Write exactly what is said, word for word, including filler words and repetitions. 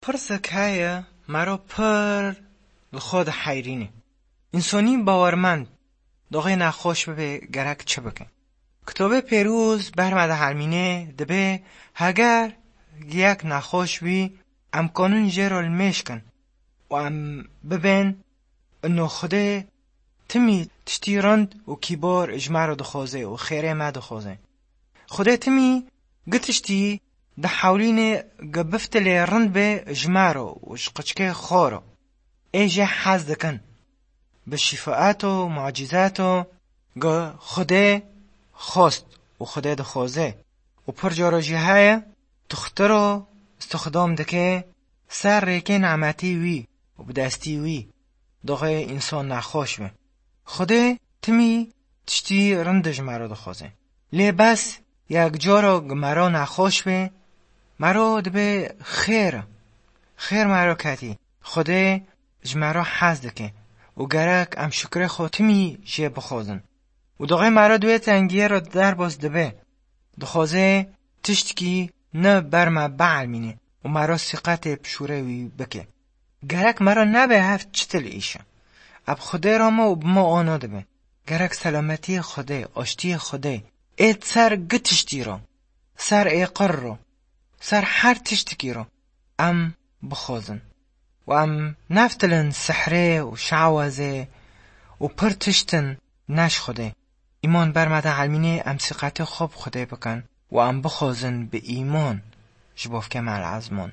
Pirsek heye, mero pir li xwe diheyrîne. Însanî bawermend, doxê nexweş bibe, gerek çi bike? Kitobê Pêrûz ber me dihelmîne, dibe heger yek nexweş bî, em kanin jê re li mêj kin û em bibên ino Xwedê timî tiştî rind û kîbar ji me re dixwaze û xêrê me dixwaze. Xwedê timî gi tiştî dihewlîne gi biftilê rind be ji me re û ji qiçkê xwe re. Ê jê hez dikin. Bi şîfaeto, mucîzeto gi Xwedê xwest û Xwedê dixwaze. Û pir cara jî heye, tuxtiro istixdam dike ser rêkê nemetî wî û bi destî wî doxê însan nexweş be. Xwedê timî tiştî rind ji me re dixwaze. Lê bes yek cara gi me re nexweş be, me re dibe xêr, xêr me re ketî. Xwedê ji me re hez dike û gerek em şukrê xwe timî jê bixwazin. Û doxê me re di wê tengiyê re derbas dibe. Dixwaze tiştkî ne ber me bielmîne û me re sîqetê bi şûrê wî bike. Gerek me re nebe hev çi til îşe. Eb Xwedê re me û bi me ana dibe. Gerek selametiyê Xwedê, aştiyê Xwedê ê ser gi tiştî re, ser êqir re, ser her tiştikî re em bixwazin. Û em neftilin sihrê û şawazê û pir tiştin ne ji Xwedê. Îman ber me de elmînê em sîqetê xwe bi Xwedê bikin û em bixwazin bi îman ji bavkê me el ezman.